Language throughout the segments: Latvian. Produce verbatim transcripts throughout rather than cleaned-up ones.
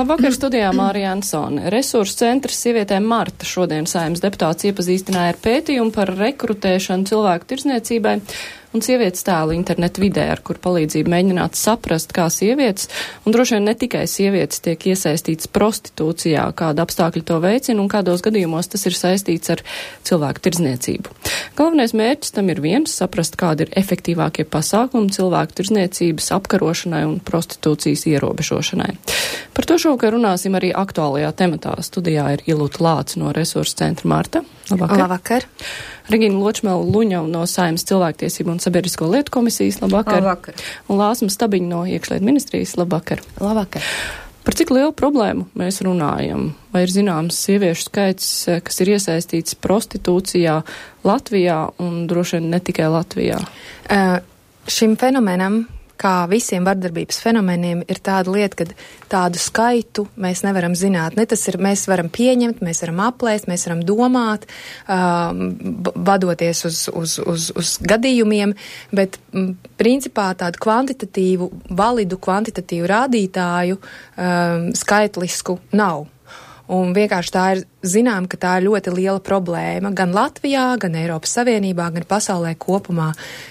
Labvakar, studijā Mārija Ansone. Resursu centrs sievietēm Marta šodien Saeimas deputāts iepazīstināja ar pētījumu par rekrutēšanu cilvēku tirdzniecībai un sievietes tēlu internetu vidē, ar kur palīdzību mēģināt saprast, kā sievietes, un droši vien ne tikai sievietes, tiek iesaistītas prostitūcijā, kāda apstākļi to veicina un kādos gadījumos tas ir saistīts ar cilvēku tirdzniecību. Galvenais mērķis tam ir viens - saprast, kādi ir efektīvākie pasākumi cilvēku tirdzniecības apkarošanai un prostitūcijas ierobežošanai. Par to šovakar runāsim arī aktuālajā tematā. Studijā ir Ilūta Lāca no Resursu centra Marta. Labvakar. Labvakar. Regīna Ločmela Luņava no Saeimas cilvēktiesību un sabiedrisko lietu komisijas. Labvakar. Labvakar. Un Lāsma Stabiņa no Iekšlietu ministrijas. Labvakar. Labvakar. Par cik lielu problēmu mēs runājam? Vai ir zināms sieviešu skaits, kas ir iesaistīts prostitūcijā Latvijā un droši vien ne tikai Latvijā? Uh, šim fenomenam, kā visiem vardarbības fenomeniem, ir tāda lieta, ka tādu skaitu mēs nevaram zināt. Ne tas ir, mēs varam pieņemt, mēs varam aplēst, mēs varam domāt, um, vadoties uz, uz, uz, uz gadījumiem, bet m, principā tādu kvantitatīvu, validu kvantitatīvu rādītāju um, skaitlisku nav. Un vienkārši tā ir zinām, ka tā ir ļoti liela problēma gan Latvijā, gan Eiropas Savienībā, gan pasaulē kopumā.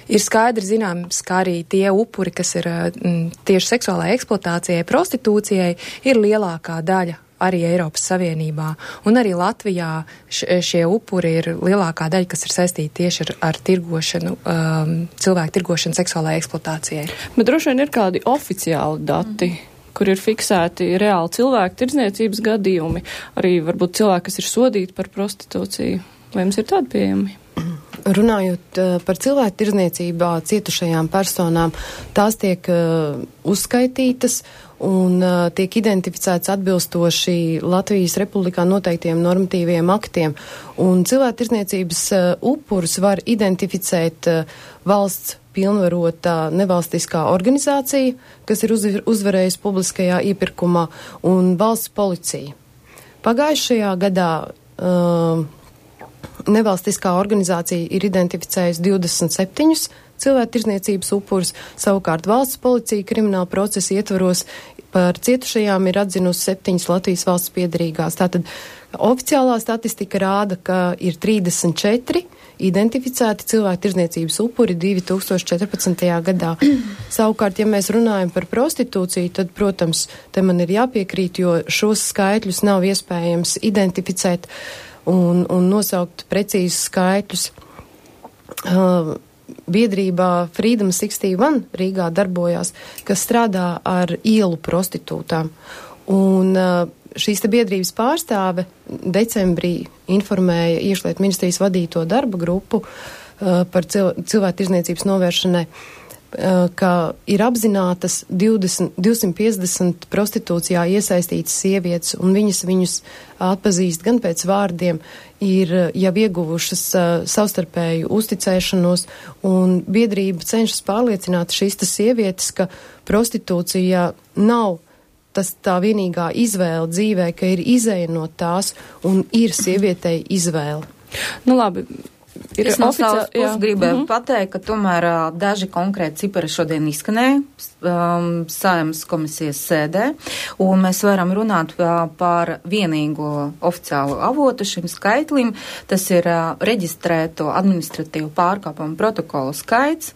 Ir skaidri zināms, ka arī tie upuri, kas ir m, tieši seksuālai eksploatācijai, prostitūcijai, ir lielākā daļa arī Eiropas Savienībā. Un arī Latvijā š, šie upuri ir lielākā daļa, kas ir saistīti tieši ar, ar tirgošanu, um, cilvēku tirgošanu seksuālai eksploatācijai. Bet droši vien ir kādi oficiāli dati, mm. kur ir fiksēti reāli cilvēku tirdzniecības gadījumi, arī varbūt cilvēki, kas ir sodīti par prostitūciju. Vai jums ir tādi pieejami? Runājot uh, par cilvēku tirdzniecībā cietušajām personām, tās tiek uh, uzskaitītas un uh, tiek identificēts atbilstoši Latvijas Republikā noteiktiem normatīviem aktiem. Un cilvēku tirdzniecības uh, upurus var identificēt uh, valsts pilnvarota nevalstiskā organizācija, kas ir uz, uzvarējusi publiskajā iepirkumā, un valsts policija. Pagājušajā gadā uh, nevalstiskā organizācija ir identificējusi divdesmit septiņus cilvēku tirdzniecības upurus, savukārt valsts policija krimināla procesa ietvaros par cietušajām ir atzinusi septiņas Latvijas valsts piederīgās. Tātad oficiālā statistika rāda, ka ir trīsdesmit četri identificēti cilvēku tirdzniecības upuri divi tūkstoši četrpadsmitajā gadā. Savukārt, ja mēs runājam par prostitūciju, tad, protams, te man ir jāpiekrīt, jo šos skaitļus nav iespējams identificēt un, un nosaukt precīzus skaitļus. Uh, biedrībā Freedom sešdesmit viens Rīgā darbojās, kas strādā ar ielu prostitūtām. Un uh, šīs te biedrības pārstāve decembrī informēja Iekšlietu ministrijas vadīto darba grupu uh, par cil cilvēku tirdzniecības novēršanai, uh, ka ir apzinātas divdesmit, divsimt piecdesmit prostitūcijā iesaistītas sievietes, un viņas viņus atpazīst gan pēc vārdiem, ir jau ieguvušas uh, savstarpēju uzticēšanos, un biedrība cenšas pārliecināt šīs tas sievietes, ka prostitūcija nav tas tā vienīgā izvēle dzīvē, ka ir izēja no tās un ir sievietei izvēle. Nu labi. Ir es no savas oficiāli, puses gribēju mm-hmm. pateikt, ka tomēr uh, daži konkrēti cipari šodien izskanēja um, Saeimas komisijas sēdē, un mēs varam runāt uh, par vienīgo oficiālu avotu šim skaitlim. Tas ir uh, reģistrēto administratīvu pārkāpumu protokolu skaits,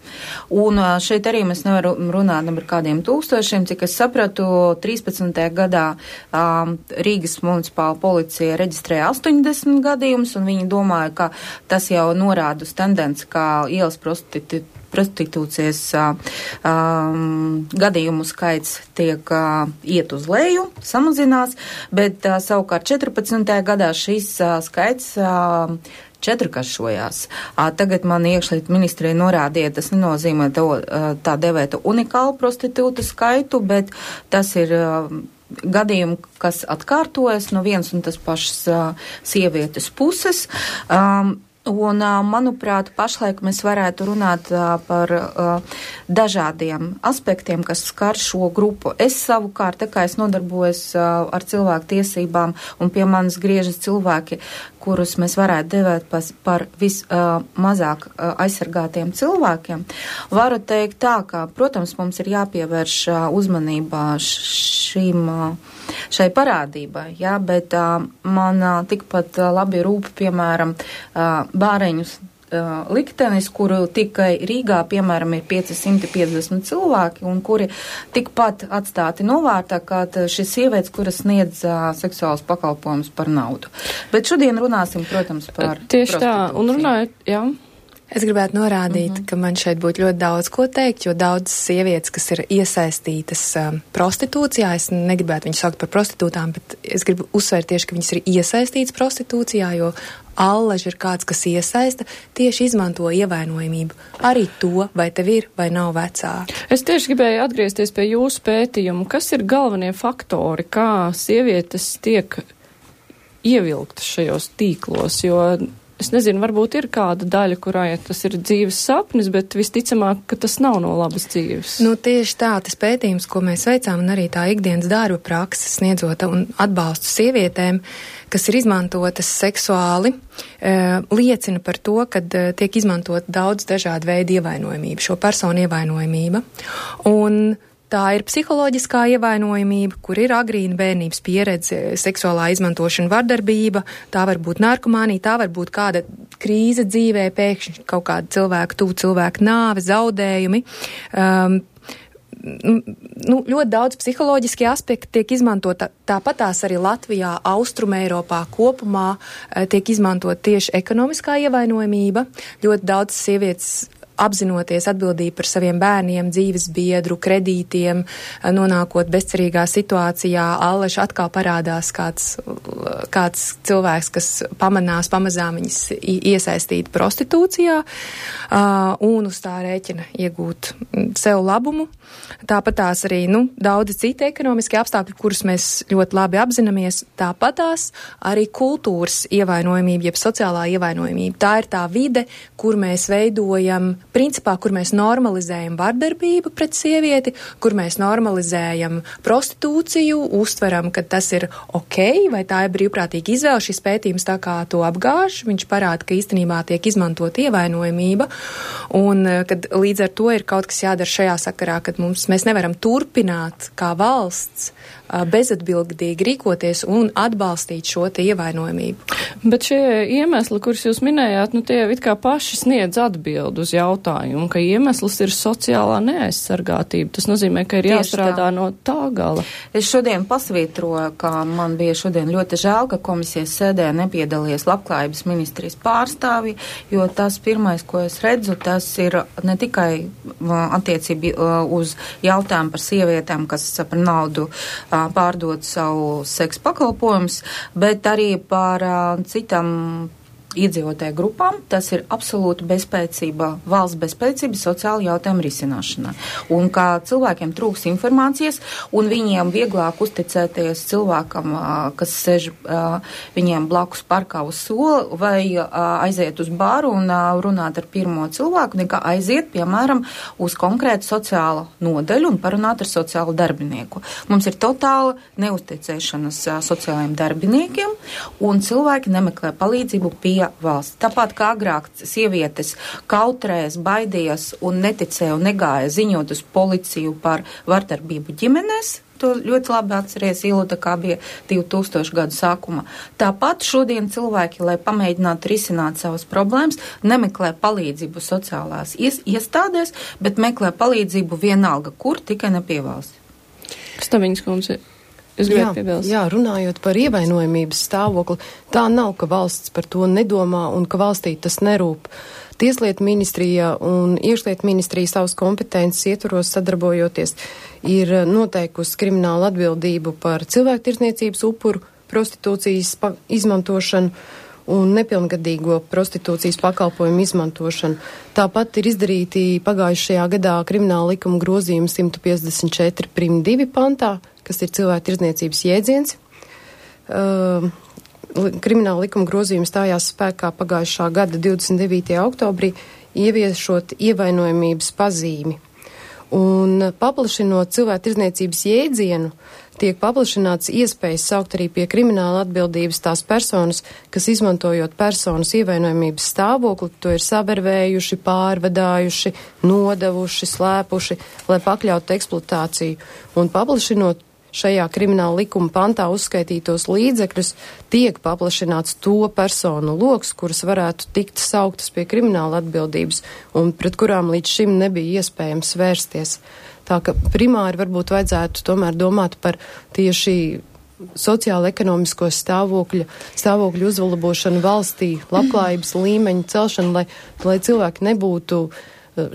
un uh, šeit arī mēs nevaram runāt par kādiem tūkstošiem, cik es sapratu, trīspadsmitajā gadā um, Rīgas municipāla policija reģistrēja astoņdesmit gadījumus, un viņi domāja, ka tas jau norāda uz tendenci, kā ielas prostitu, prostitūcijas uh, um, gadījumu skaits tiek uh, iet uz leju, samazinās, bet uh, savukārt četrpadsmitajā gadā šis uh, skaits uh, četrkāršojās. Uh, tagad man Iekšlietu ministrija norādīja, tas nenozīmē to, uh, tā devēta unikālu prostitūtu skaitu, bet tas ir uh, gadījumi, kas atkārtojas no vienas un tas pašas uh, sievietes puses. Um, Un, manuprāt, pašlaik mēs varētu runāt par dažādiem aspektiem, kas skar šo grupu. Es savukārt, tā kā es nodarbojos ar cilvēku tiesībām un pie manis griežas cilvēki, kurus mēs varētu devēt par vismazāk aizsargātiem cilvēkiem, varu teikt tā, ka, protams, mums ir jāpievērš uzmanībā šīm, šai parādībai, jā, bet man tikpat labi rūp, piemēram, bāreņus uh, liktenis, kuru tikai Rīgā, piemēram, ir pieci simti piecdesmit cilvēki, un kuri tikpat atstāti novārtā, kā šis sievietes, kuras sniedz uh, seksuālus pakalpojumus par naudu. Bet šodien runāsim, protams, par tieši tā, un runājot, jā. Es gribētu norādīt, mm-hmm. ka man šeit būtu ļoti daudz ko teikt, jo daudzas sievietes, kas ir iesaistītas um, prostitūcijā, es negribētu viņus saukt par prostitūtām, bet es gribu uzsvērt tieši, ka viņas ir iesaistītas prostitūcijā, jo allaž ir kāds, kas iesaista, tieši izmanto ievainojamību. Arī to, vai tev ir, vai nav vecāki. Es tieši gribēju atgriezties pie jūsu pētījumu. Kas ir galvenie faktori, kā sievietes tiek ievilktas šajos tīklos, jo es nezinu, varbūt ir kāda daļa, kurai tas ir dzīves sapnis, bet visticamāk, ka tas nav no labas dzīves. Nu, tieši tā, tas pētījums, ko mēs veicām, un arī tā ikdienas darba praksa sniedzot un atbalstu sievietēm, kas ir izmantotas seksuāli, e, liecina par to, ka e, tiek izmantot daudz dažādu veidu ievainojamību, šo personu ievainojamība. Un tā ir psiholoģiskā ievainojamība, kur ir agrīna bērnības pieredze, seksuālā izmantošana, vardarbība, tā var būt narkomānija, tā var būt kāda krīze dzīvē, pēkšņi kaut kāda cilvēku, tuvu cilvēku nāve, zaudējumi. Um, nu, ļoti daudz psiholoģiskie aspekti tiek izmantot, tāpat tās arī Latvijā, Austruma Eiropā kopumā tiek izmantot tieši ekonomiskā ievainojamība. Ļoti daudz sievietes apzinoties atbildību par saviem bērniem, dzīves biedru, kredītiem, nonākot bezcerīgā situācijā, allaž atkal parādās kāds, kāds cilvēks, kas pamanās, pamazām viņas iesaistīt prostitūcijā un uz tā rēķina iegūt sev labumu. Tāpat tās arī, nu, daudzi citi ekonomiski apstākļi, kurus mēs ļoti labi apzināmies, tāpat tās arī kultūras ievainojamība, jeb sociālā ievainojamība. Tā ir tā vide, kur mēs veidojam, principā, kur mēs normalizējam vardarbību pret sievieti, kur mēs normalizējam prostitūciju, uztveram, ka tas ir ok, vai tā ir brīvprātīga izvēle. Šis pētījums tā kā to apgāž, viņš parāda, ka īstenībā tiek izmantot ievainojamība, un kad līdz ar to ir kaut kas jādara šajā sakarā, kad mums, mēs nevaram turpināt kā valsts bezatbildīgi rīkoties un atbalstīt šo te ievainojamību. Bet šie iemesli, kurus jūs minējāt, nu tie it kā paši sniedz atbildu uz jautājumu, ka iemesls ir sociālā neaizsargātība. Tas nozīmē, ka ir Tieši jāstrādā tā. no tā gala. Es šodien pasvītroju, ka man bija šodien ļoti žēl, ka komisijas sēdē nepiedalījies labklājības ministrijas pārstāvi, jo tas pirmais, ko es redzu, tas ir ne tikai attiecība uz jautājumu par sievietēm, kas par naudu pārdot savu seksu pakalpojumus, bet arī par uh, citam iedzīvotāju grupām. Tas ir absolūti bezspēcība, valsts bezspēcība sociāla jautājuma risināšanā. Un kā cilvēkiem trūks informācijas, un viņiem vieglāk uzticēties cilvēkam, kas sēž viņiem blakus parkā uz soli, vai aiziet uz baru un runāt ar pirmo cilvēku, nekā aiziet, piemēram, uz konkrētu sociālu nodaļu un parunāt ar sociālu darbinieku. Mums ir totāla neuzticēšanas sociālajiem darbiniekiem, un cilvēki nemeklē palīdzību pie valsts. Tāpat kā agrāk sievietes kautrēs, baidījās un neticēja un negāja ziņot uz policiju par vardarbību ģimenēs, to ļoti labi atceries Ilda, kā bija divi tūkstoši gadu sākumā. Tāpat šodien cilvēki, lai pamēģinātu risināt savas problēmas, nemeklē palīdzību sociālās iestādēs, bet meklē palīdzību vienalga, kur tikai ne pie valsts. Staviņas kundze. Jā, jā, runājot par ievainojamības stāvokli, tā nav, ka valsts par to nedomā un ka valstī tas nerūp. Tieslietu ministrija un iekšlietu ministrija savas kompetences ietvaros sadarbojoties ir noteikusi kriminālu atbildību par cilvēktirdzniecības upuru, prostitūcijas izmantošanu un nepilngadīgo prostitūcijas pakalpojumu izmantošanu. Tāpat ir izdarīti pagājušajā gadā krimināla likuma grozījumi simt piecdesmit četri prim divi pantā, kas ir cilvēktirdzniecības jēdziens. Uh, krimināla likuma grozījums stājās spēkā pagājušā gada divdesmit devītajā oktobrī, ieviešot ievainojamības pazīmi. Un paplašinot cilvēku tirdzniecības jēdzienu, tiek paplašināts iespējas saukt arī pie krimināla atbildības tās personas, kas izmantojot personas ievainojamības stāvokli, to ir savervējuši, pārvadājuši, nodevuši, slēpuši, lai pakļautu eksploatāciju. Un paplašinot šajā krimināla likuma pantā uzskaitītos līdzekļus, tiek paplašināts to personu loks, kuras varētu tikt sauktas pie krimināla atbildības un pret kurām līdz šim nebija iespējams vērsties. Tā ka primāri varbūt vajadzētu tomēr domāt par tieši sociālo-ekonomisko stāvokļu, stāvokļu uzlabošanu valstī, labklājības līmeņu celšanu, lai, lai cilvēki nebūtu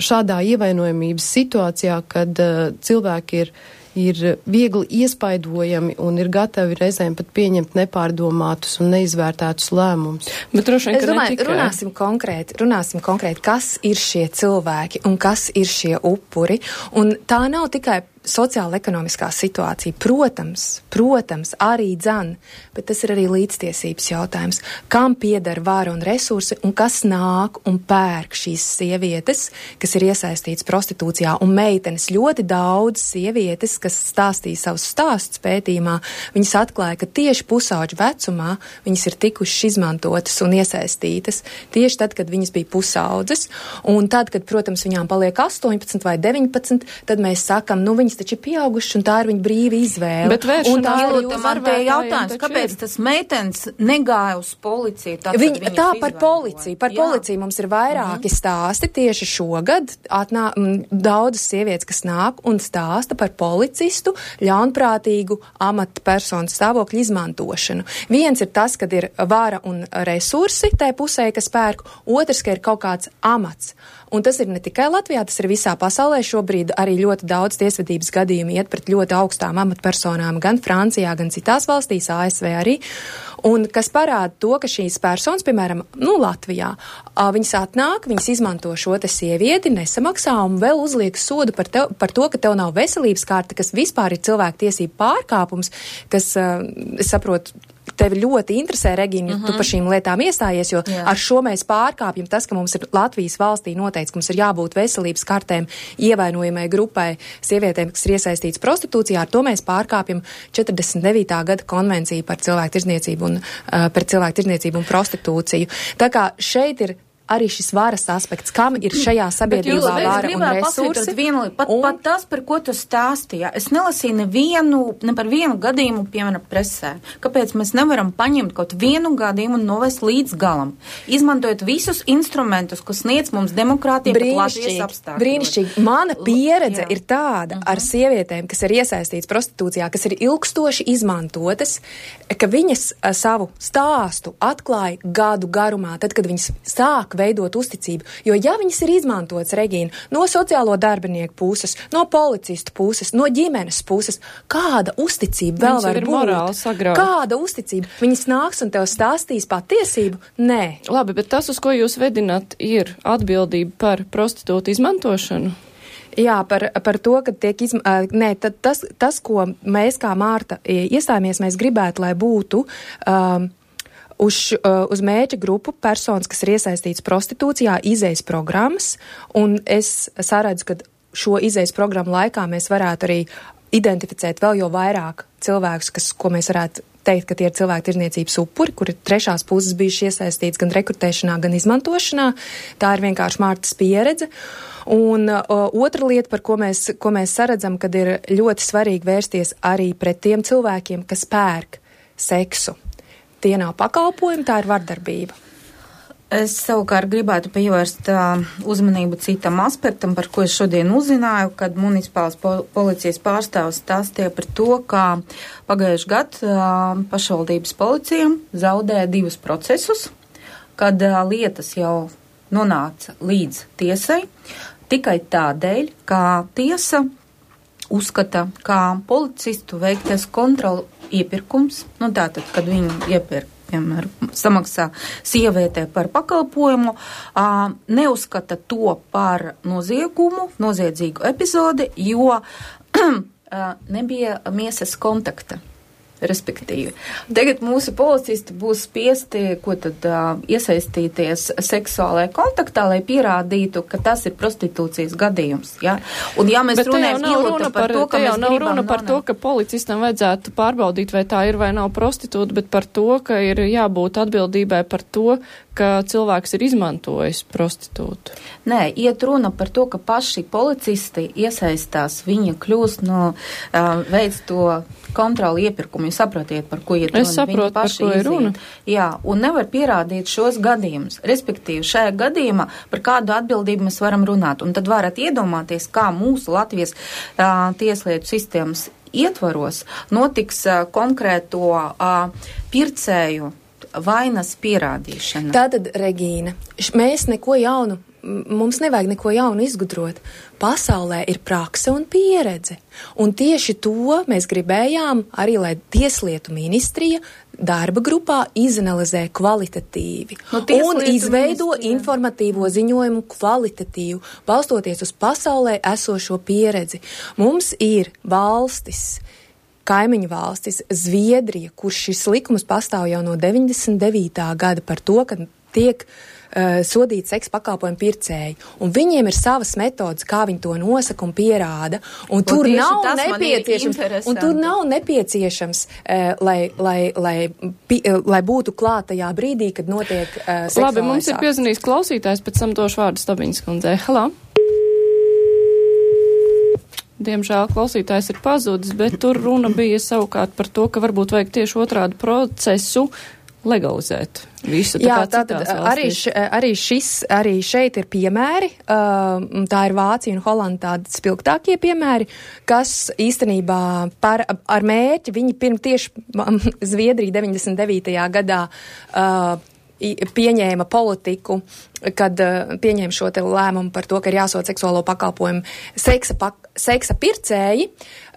šādā ievainojamības situācijā, kad uh, cilvēki ir ir viegli iespaidojami un ir gatavi reizēm pat pieņemt nepārdomātus un neizvērtētus lēmumus. Bet droši vien, es domāju, tikai... runāsim konkrēti, runāsim konkrēti, kas ir šie cilvēki un kas ir šie upuri. Un tā nav tikai sociāla-ekonomiskā situācija. Protams, protams, arī dzan, bet tas ir arī līdztiesības jautājums. Kam pieder vara un resursi un kas nāk un pērk šīs sievietes, kas ir iesaistīts prostitūcijā, un meitenes ļoti daudz sievietes, kas stāstīja savus stāstus pētījumā, viņas atklāja, ka tieši pusauģu vecumā viņas ir tikušas izmantotas un iesaistītas tieši tad, kad viņas bija pusaudzes, un tad, kad, protams, viņām paliek astoņpadsmit vai deviņpadsmit, tad mēs sakam, nu, viņas taču ir pieauguši un tā ir viņa brīva izvēle. Bet vēršanā man te jautājums, kāpēc tas meitenes negāja uz policiju? Tad, viņa, tā par policiju. Par Jā. policiju mums ir vairāki uh-huh. stāsti. Tieši šogad atnā, m, daudzas sievietes, kas nāk un stāsta par policistu ļaunprātīgu amatpersonu stāvokļu izmantošanu. Viens ir tas, kad ir vara un resursi tai pusē, kas pērk. Otrs, ka ir kaut kāds amats. Un tas ir ne tikai Latvijā, tas ir visā pasaulē. Šobrīd arī ļoti daudz tiesvedības gadījumi iet pret ļoti augstām amatpersonām gan Francijā, gan citās valstīs, A S V arī. Un kas parāda to, ka šīs personas, piemēram, nu, Latvijā, viņas atnāk, viņas izmanto šo te sievieti, nesamaksā un vēl uzliek sodu par, tev, par to, ka tev nav veselības kārta, kas vispār ir cilvēku tiesību pārkāpums, kas, es saprotu, tevi ļoti interesē, Regīna, ja uh-huh. tu par šīm lietām iestājies, jo Jā. ar šo mēs pārkāpjam tas, ka mums ir Latvijas valstī noteikts, ka mums ir jābūt veselības kartēm ievainojamai grupai sievietēm, kas ir iesaistīts prostitūcijā, ar to mēs pārkāpjam četrdesmit devītā gada konvenciju par cilvēku tirdzniecību un, uh, par cilvēku tirdzniecību un prostitūciju. Tā kā šeit ir arī šis varas aspekts, kam ir šajā sabiedrībā vara un resursi. Vienu, pat, un... pat tas, par ko tu stāstīji, es nelasīju nevienu, ne par vienu gadījumu, piemēram, presē. Kāpēc mēs nevaram paņemt kaut vienu gadījumu un novest līdz galam? Izmantojot visus instrumentus, kas sniedz mums demokrātija pat Latvijas apstākļos. Brīnišķīgi. Mana pieredze Jā. ir tāda uh-huh. ar sievietēm, kas ir iesaistītas prostitūcijā, kas ir ilgstoši izmantotas, ka viņas a, savu stāstu atklāja gadu garumā, tad, kad viņas sāk veidot uzticību. Jo ja viņas ir izmantotas, Regīna, no sociālo darbinieku puses, no policistu puses, no ģimenes puses, kāda uzticība vēl var būt? Kāda uzticība? Viņas nāks un tev stāstīs patiesību? Nē. Labi, bet tas, uz ko jūs vedināt, ir atbildība par prostitūtu izmantošanu? Jā, par, par to, ka tiek izmantot. Nē, tad tas, tas, ko mēs kā Mārta iestājāmies, mēs gribētu, lai būtu um, Uz, uh, uz mērķa grupu personas, kas ir iesaistīts prostitūcijā, izejas programmas, un es saredzu, ka šo izejas programmu laikā mēs varētu arī identificēt vēl jau vairāk cilvēkus, kas, ko mēs varētu teikt, ka tie ir cilvēku tirdzniecības upuri, kuri trešās puses bijuši iesaistīts gan rekrutēšanā, gan izmantošanā. Tā ir vienkārši Mārtas pieredze. Un uh, otra lieta, par ko mēs, ko mēs saredzam, kad ir ļoti svarīgi vērsties arī pret tiem cilvēkiem, kas pērk seksu. Tie nav pakalpojumi, tā ir vardarbība. Es savukārt gribētu pievērst uh, uzmanību citam aspektam, par ko es šodien uzzināju, kad municipālas po- policijas pārstāvs stāstīja par to, ka pagājuši gadu uh, pašvaldības policija zaudēja divus procesus, kad uh, lietas jau nonāca līdz tiesai, tikai tādēļ, ka tiesa uzskata, ka policistu veiktais kontrolu iepirkums, nu tātad, kad viņi iepirk, piemēram, samaksā sievietē par pakalpojumu, ā, neuzskata to par noziegumu, noziedzīgu epizodi, jo ā, nebija miesas kontakta. Respektīvi. Tagad mūsu policisti būs spiesti, ko tad uh, iesaistīties seksuālajā kontaktā, lai pierādītu, ka tas ir prostitūcijas gadījums. Ja? Un ja mēs runājam runa par, par to, ka mēs nav runa par to, ka policistam vajadzētu pārbaudīt, vai tā ir vai nav prostitūta, bet par to, ka ir jābūt atbildībai par to, ka cilvēks ir izmantojis prostitūtu. Nē, iet runa par to, ka paši policisti iesaistās, viņa kļūst no uh, veids to kontroli iepirkumu. Jūs saprotiet, par ko iet runa. Es saprotu, par ko ir runa. Jā, un nevar pierādīt šos gadījumus. Respektīvi, šajā gadījumā par kādu atbildību mēs varam runāt. Un tad varat iedomāties, kā mūsu Latvijas uh, tieslietu sistēmas ietvaros notiks uh, konkrēto uh, pircēju vainas pierādīšana. Tātad, Regīna, mēs neko jaunu, mums nevajag neko jaunu izgudrot. Pasaulē ir prakse un pieredze. Un tieši to mēs gribējām arī, lai Tieslietu ministrija darba grupā izanalizē kvalitatīvi no un izveido ministrija. Informatīvo ziņojumu kvalitatīvu, balstoties uz pasaulē esošo pieredzi. Mums ir valstis, kaimiņu valstis, Zviedrija, kur šis likums pastāv jau no deviņdesmit devītā gada par to, ka tiek uh, sodīti seksa pakalpojumu pircēji. Un viņiem ir savas metodas, kā viņi to nosaka un pierāda. Un, un tur nav nepieciešams, un tur nav nepieciešams, uh, lai, lai, lai, pi, uh, lai būtu klāt tajā brīdī, kad notiek uh, seksuālais. Labi, mums ir piezvanījis klausītājs, pēc tam došu vārdu Stabiņas kundzei. Halā! Diemžēl klausītājs ir pazudis, bet tur runa bija savukārt par to, ka varbūt vajag tieši otrādu procesu legalizēt visu. Tā Jā, kā tātad arī, š, arī, šis, arī šeit ir piemēri, uh, tā ir Vācija un Holanda tādi spilgtākie piemēri, kas īstenībā par, ar mērķi, viņi pirms tieši Zviedrija deviņdesmit devītajā gadā uh, pieņēma politiku, kad uh, pieņēma šo te lēmumu par to, ka ir jāsod seksuālo pakalpojumu seksa, pak, seksa pircēji.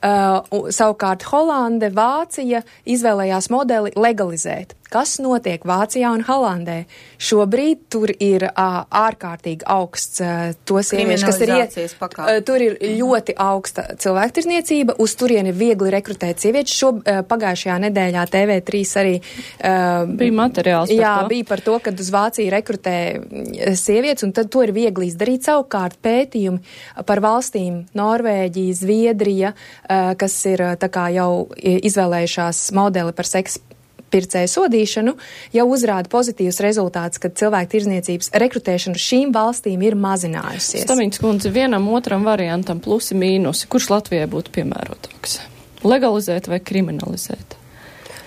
Uh, savukārt Holande, Vācija izvēlējās modeli legalizēt. Kas notiek Vācijā un Holandē? Šobrīd tur ir uh, ārkārtīgi augsts uh, to sieviešu, kas ir iet, uh, tur ir ļoti augsta cilvēktirzniecība, uz turien ir viegli rekrutēt sievietes. Šo uh, pagājušajā nedēļā T V trīs arī uh, bija materiāls par jā, to. bija par to, kad uz Vāciju rekrutē sievietes, un tad to ir viegli izdarīt. Savukārt pētījumi par valstīm Norvēģija, Zviedrija, uh, kas ir tā kā jau izvēlējušās modeli par seksu pircēju sodīšanu, jau uzrāda pozitīvus rezultātus, kad cilvēku tirzniecības rekrutēšana šīm valstīm ir mazinājusies. Stabiņas kundze, vienam otram variantam plusi mīnusi, kurš Latvijai būtu piemērotāks? Legalizēt vai kriminalizēt?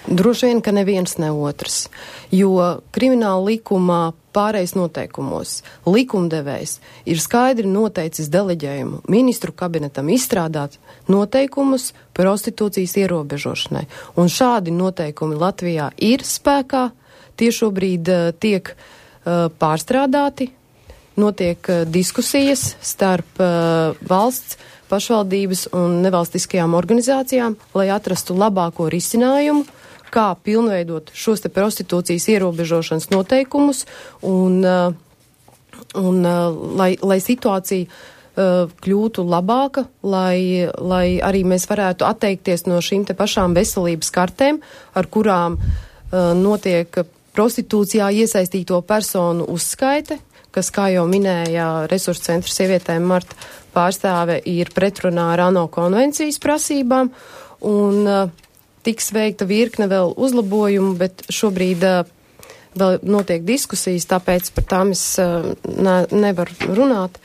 Droši vien, ka neviens ne otrs, jo krimināla likumā pārējais noteikumos likumdevējs ir skaidri noteicis deleģējumu ministru kabinetam izstrādāt noteikumus prostitūcijas ierobežošanai. Un šādi noteikumi Latvijā ir spēkā, tie šobrīd uh, tiek uh, pārstrādāti, notiek uh, diskusijas starp uh, valsts, pašvaldības un nevalstiskajām organizācijām, lai atrastu labāko risinājumu, kā pilnveidot šos te prostitūcijas ierobežošanas noteikumus un, un lai, lai situācija uh, kļūtu labāka, lai, lai arī mēs varētu atteikties no šīm te pašām veselības kartēm, ar kurām uh, notiek prostitūcijā iesaistīto personu uzskaite, kas, kā jau minēja Resursu centra sievietēm Marta pārstāve, ir pretrunā ar ANO konvencijas prasībām, un uh, tiks veikta virkne vēl uzlabojumu, bet šobrīd uh, vēl notiek diskusijas, tāpēc par tām es uh, ne, nevaru runāt.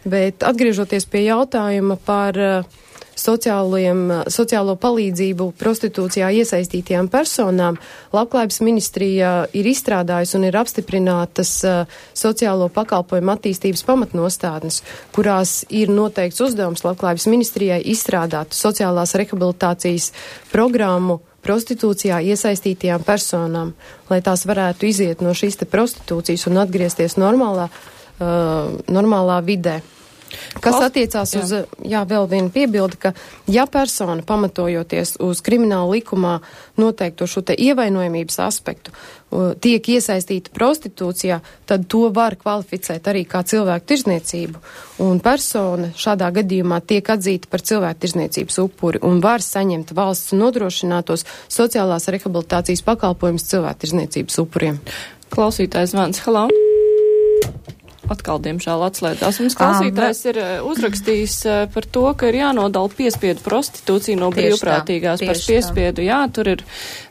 Bet atgriežoties pie jautājuma par uh, sociālo palīdzību prostitūcijā iesaistītajām personām, Labklājības ministrija ir izstrādājusi un ir apstiprinātas uh, sociālo pakalpojumu attīstības pamatnostādnes, kurās ir noteikts uzdevums Labklājības ministrijai izstrādāt sociālās rehabilitācijas programmu prostitūcijā iesaistītajām personām, lai tās varētu iziet no šīs te prostitūcijas un atgriezties normālā, uh, normālā vidē. Kas attiecās jā. uz, jā, vēl viena piebilde, ka ja persona pamatojoties uz krimināla likumā noteikto šo te ievainojamības aspektu tiek iesaistīta prostitūcijā, tad to var kvalificēt arī kā cilvēku tirzniecību. Un persona šādā gadījumā tiek atzīta par cilvēku tirzniecības upuri un var saņemt valsts nodrošinātos sociālās rehabilitācijas pakalpojumus cilvēku tirzniecības upuriem. Klausītājs zvans, halā. Atkal, diemžēl, atslēdās. Mums klausītājs ir uzrakstījis par to, ka ir jānodala piespiedu prostitūciju no brīvprātīgās par piespiedu. Jā, tur ir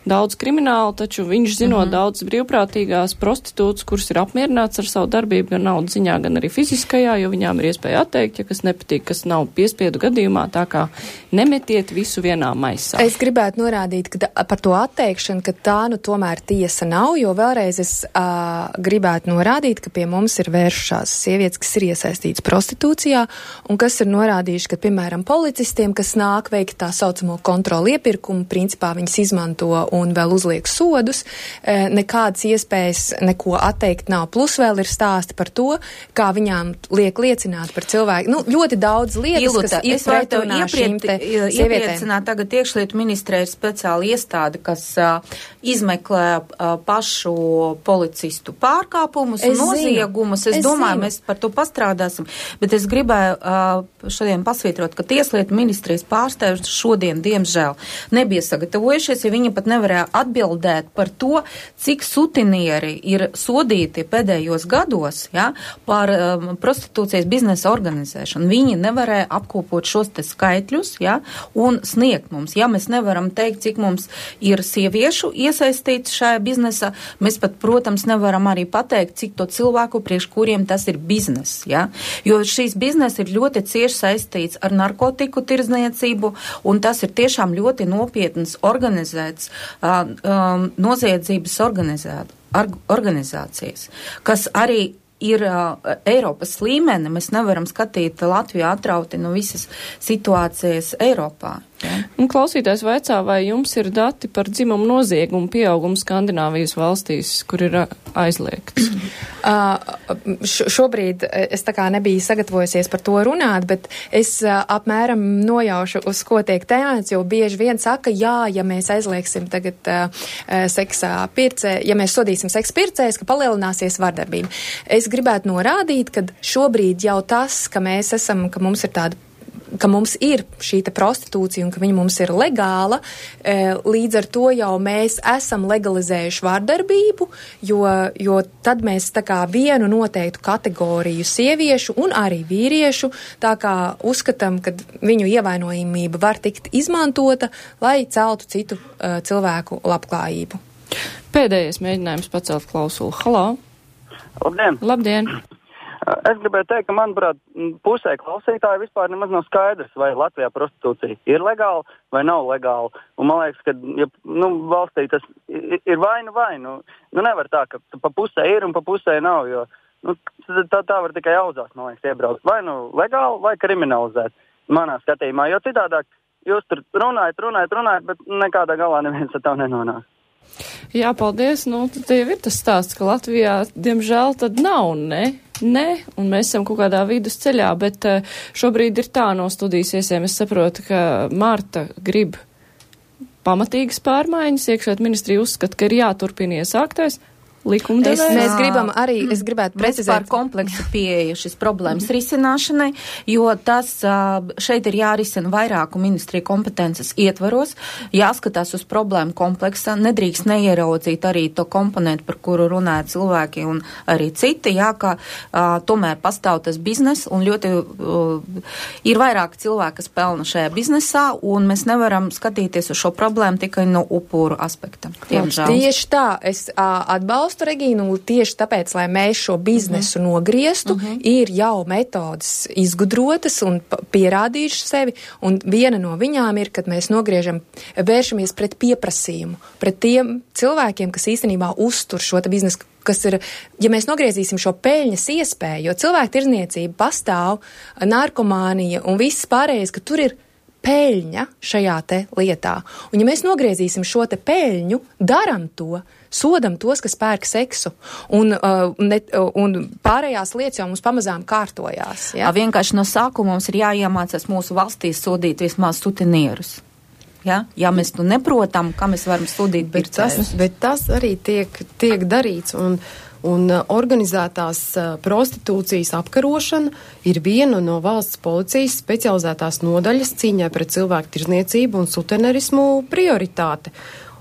daudz kriminālu, taču viņš zinot mm-hmm. daudz brīvprātīgās prostitūtas, kuras ir apmierināts ar savu darbību gan naudas ziņā, gan arī fiziskajā, jo viņām ir iespēja atteikt, ja kas nepatīk, kas nav piespiedu gadījumā, tā kā nemetiet visu vienā maisā. Es gribētu norādīt, ka par to atteikšanu, ka tā nu tomēr tiesa nav, jo vēlreiz es uh, gribētu norādīt, ka pie mums ir vērš šās sievietes, kas ir iesaistītas prostitūcijā un kas ir norādījuši, ka, piemēram, policistiem, kas nāk veikt tā saucamo kontroli iepirkumu, principā viņas izmanto un vēl uzliek sodus, nekādas iespējas neko atteikt nav. Plus vēl ir stāsti par to, kā viņām liek liecināt par cilvēku. Nu, ļoti daudz lietas, Ilūta, kas ir pretrunā šīm te sievietēm. Iepriecināt tagad iekšlietu ministrē ir speciāla iestāde, kas uh, izmeklē uh, pašu policistu pārkāpumus un noziegumus. Es, es domāju, mēs par to pastrādāsim, bet es gribēju uh, šodien pasvītrot, ka tieslietu ministrijas pārstāvji šodien, diemžēl, nebija sagatavojušies, ja viņi pat nevarēja atbildēt par to, cik sutinieri ir sodīti pēdējos gados, ja, par um, prostitūcijas biznesa organizēšanu. Viņi nevarēja apkopot šos te skaitļus, ja, un sniegt mums. Ja mēs nevaram teikt, cik mums ir sieviešu iesaistīts šajā biznesā, mēs pat, protams, nevaram arī pateikt, cik to cilvēku priekš kuriem tas ir biznes, ja? Jo šīs biznes ir ļoti cieši saistīts ar narkotiku tirdzniecību, un tas ir tiešām ļoti nopietns organizēts uh, um, noziedzības organizēt, ar, organizācijas, kas arī ir uh, Eiropas līmeni. Mēs nevaram skatīt Latviju atrauti no visas situācijas Eiropā. Ja? Un klausītājs vaicā, vai jums ir dati par dzimumu noziegumu pieaugumu Skandināvijas valstīs, kur ir aizliegts? Uh, šobrīd es tā kā nebiju sagatavojusies par to runāt, bet es uh, apmēram nojaušu, uz ko tiek tēmēts, jo bieži vien saka, jā, ja mēs aizliegsim tagad uh, seksā pircē, ja mēs sodīsim seksa pircējs, ka palielināsies vardarbība. Es gribētu norādīt, ka šobrīd jau tas, ka mēs esam, ka mums ir tāda ka mums ir šī te prostitūcija un ka viņa mums ir legāla, līdz ar to jau mēs esam legalizējuši vardarbību, jo, jo tad mēs tā kā vienu noteiktu kategoriju sieviešu un arī vīriešu tā kā uzskatām, ka viņu ievainojamība var tikt izmantota, lai celtu citu uh, cilvēku labklājību. Pēdējais mēģinājums pacelt klausulu. Halā! Labdien! Labdien! Es gribēju teikt, ka, manuprāt, pusē klausītāji vispār nemaz nav skaidrs, vai Latvijā prostitūcija ir legāla vai nav legāla. Un man liekas, ka ja, nu, valstī tas ir vainu vainu. Nu, nevar tā, ka pa pusē ir un pa pusē nav, jo nu, tā, tā var tikai auzās, man liekas, iebraukt. Vai nu legāli, vai kriminalizēt, manā skatījumā. Jo citādāk jūs tur runājat, runājat, runājat, bet nekādā galā neviens ar tev nenonāk. Jā, paldies. Nu, tad jau ir tas stāsts, ka Latvijā, diemžēl, tad nav, ne? Nē, un mēs esam kaut kādā vidusceļā, bet šobrīd ir tā no studijas iesiem. Es saprotu, ka Marta grib pamatīgas pārmaiņas, iekšlietu ministrija uzskata, ka ir jāturpina iesāktais likumdevējs. Mēs gribam arī, es gribētu precizēt par kompleksu pieeju šis problēmas risināšanai, jo tas šeit ir jārisina vairāku ministriju kompetences ietvaros, jāskatās uz problēmu kompleksā, nedrīkst neieraudzīt arī to komponentu, par kuru runāja cilvēki un arī citi, jā, ka uh, tomēr pastāv tas biznes un ļoti uh, ir vairāk cilvēki, kas pelna šajā biznesā, un mēs nevaram skatīties uz šo problēmu tikai no upuru aspekta. Diemžēl. Tieši tā, es uh, atbalstu Regīnu, tieši tāpēc, lai mēs šo biznesu uh-huh. nogrieztu, uh-huh. ir jau metodas izgudrotas un pierādījušas sevi, un viena no viņām ir, kad mēs nogriežam, vēršamies pret pieprasījumu, pret tiem cilvēkiem, kas īstenībā uztur šo te biznesu, kas ir, ja mēs nogriezīsim šo peļņas iespēju, jo cilvēku tirdzniecība pastāv, narkomānija un viss pārējais, ka tur ir peļņa šajā te lietā. Un ja mēs nogriezīsim šo te peļņu, daram to, sodam tos, kas pērk seksu, un, uh, ne, uh, un pārējās lietas jau mums pamazām kārtojās. Ja? Vienkārši no sākuma mums ir jāiemācās mūsu valstī sodīt vismaz sutenierus. Ja? Ja mēs tu neprotam, kā mēs varam sodīt bet tas, bet tas arī tiek, tiek darīts, un, un organizētās prostitūcijas apkarošana ir viena no valsts policijas specializētās nodaļas cīņai pret cilvēku tirzniecību un sutenerismu prioritāte.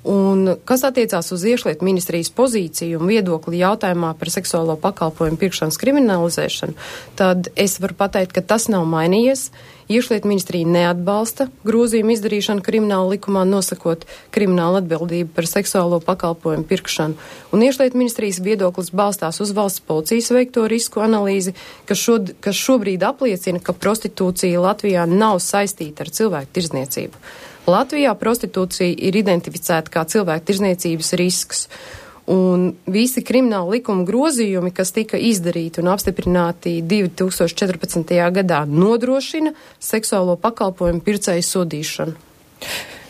Un kas attiecās uz iekšlietu ministrijas pozīciju un viedokli jautājumā par seksuālo pakalpojumu pirkšanas kriminalizēšanu, tad es varu pateikt, ka tas nav mainījies. Iekšlietu ministrija neatbalsta grozījumu izdarīšanu krimināla likumā, nosakot kriminālu atbildību par seksuālo pakalpojumu pirkšanu. Un iekšlietu ministrijas viedoklis balstās uz valsts policijas veikto risku analīzi, kas, šo, kas šobrīd apliecina, ka prostitūcija Latvijā nav saistīta ar cilvēku tirzniecību. Latvijā prostitūcija ir identificēta kā cilvēku tirzniecības risks, un visi krimināla likuma grozījumi, kas tika izdarīti un apstiprināti divi tūkstoši četrpadsmitajā gadā, nodrošina seksuālo pakalpojumu pircēju sodīšanu.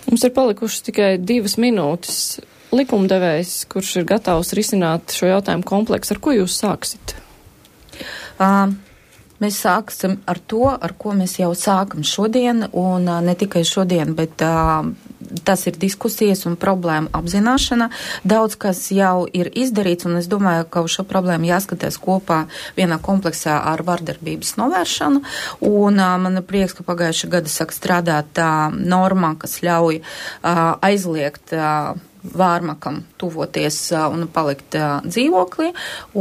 Mums ir palikušas tikai divas minūtes. Likumdevējs, kurš ir gatavs risināt šo jautājumu kompleksu, ar ko jūs sāksit? Um. Mēs sāksim ar to, ar ko mēs jau sākam šodien, un uh, ne tikai šodien, bet uh, tas ir diskusijas un problēma apzināšana. Daudz, kas jau ir izdarīts, un es domāju, ka uz šo problēmu jāskatās kopā vienā kompleksā ar vardarbības novēršanu, un uh, man ir prieks, ka pagājušā gada sāk strādāt uh, normā, kas ļauj uh, aizliegt uh, vārmakam tuvoties uh, un palikt uh, dzīvoklī,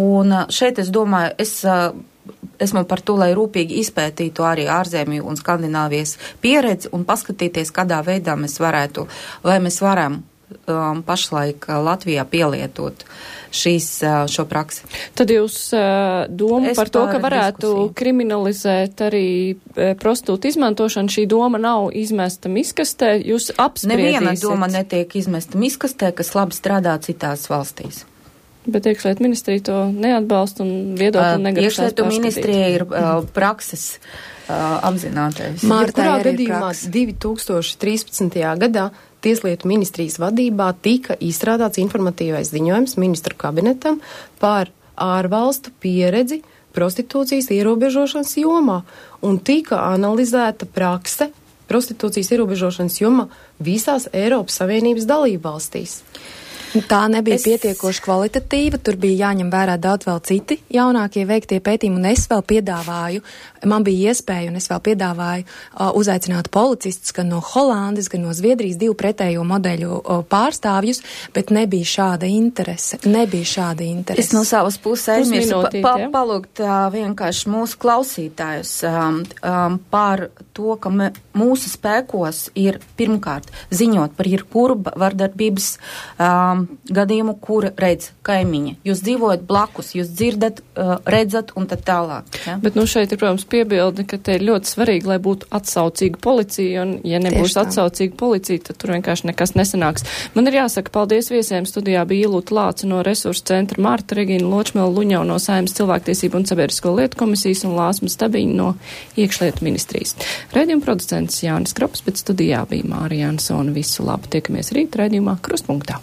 un uh, šeit es domāju, es uh, esmu par to, lai rūpīgi izpētītu arī ārzemju un Skandināvijas pieredzi un paskatīties, kādā veidā mēs varētu, vai mēs varam um, pašlaik Latvijā pielietot šīs, šo praksi. Tad jūs uh, doma es par to, ka varētu diskusiju. kriminalizēt arī uh, prostitūtu izmantošanu, šī doma nav izmesta miskastē, jūs apspriedīsiet? Neviena doma netiek izmesta miskastē, kas labi strādā citās valstīs. Bet iekšlietu ministrija to neatbalsta un viedokli negrasās pārskatīt. Iekšlietu ministrija ir uh, prakses uh, apzinātais. Jebkurā gadījumā divi tūkstoši trīspadsmitajā gadā Tieslietu ministrijas vadībā tika izstrādāts informatīvais ziņojums ministru kabinetam par ārvalstu pieredzi prostitūcijas ierobežošanas jomā, un tika analizēta prakse prostitūcijas ierobežošanas jomā visās Eiropas Savienības dalībvalstīs. Tā nebija Es- pietiekoši kvalitatīva, tur bija jāņem vērā daudz vēl citi jaunākie veiktie pētījumi, un es vēl piedāvāju, man bija iespēja, un es vēl piedāvāju uh, uzaicināt policistus gan no Holandes, gan no Zviedrijas, divu pretējo modeļu uh, pārstāvjus, bet nebija šāda interese, nebija šāda interese. Es no savas puses aizmirsu pa, Pusminūtīt, pa, ja? palūgt uh, vienkārši mūsu klausītājus um, um, par to, ka me, mūsu spēkos ir pirmkārt ziņot par jebkuru vardarbības um, gadījumu, kuru redz kaimiņi. Jūs dzīvojat blakus, jūs dzirdat, uh, redzat un tad tālāk. Ja? Bet nu šeit ir, protams, piebilde, ka te ir ļoti svarīgi, lai būtu atsaucīga policija, un ja nebūs Tieši tā. atsaucīga policija, tad tur vienkārši nekas nesanāks. Man ir jāsaka paldies viesiem. Studijā bija Ilūta Lāca no Resursu centra, Marta Regīna Ločmela Luņau no Saeimas cilvēktiesību un sabiedrisko lietu komisijas un Lāsma Stabiņa no iekšlietu ministrijas. Raidījuma producents Jānis Krops, bet studijā bija Mārija Ansona. Visu labu, tiekamies rīt raidījumā Krustpunktā.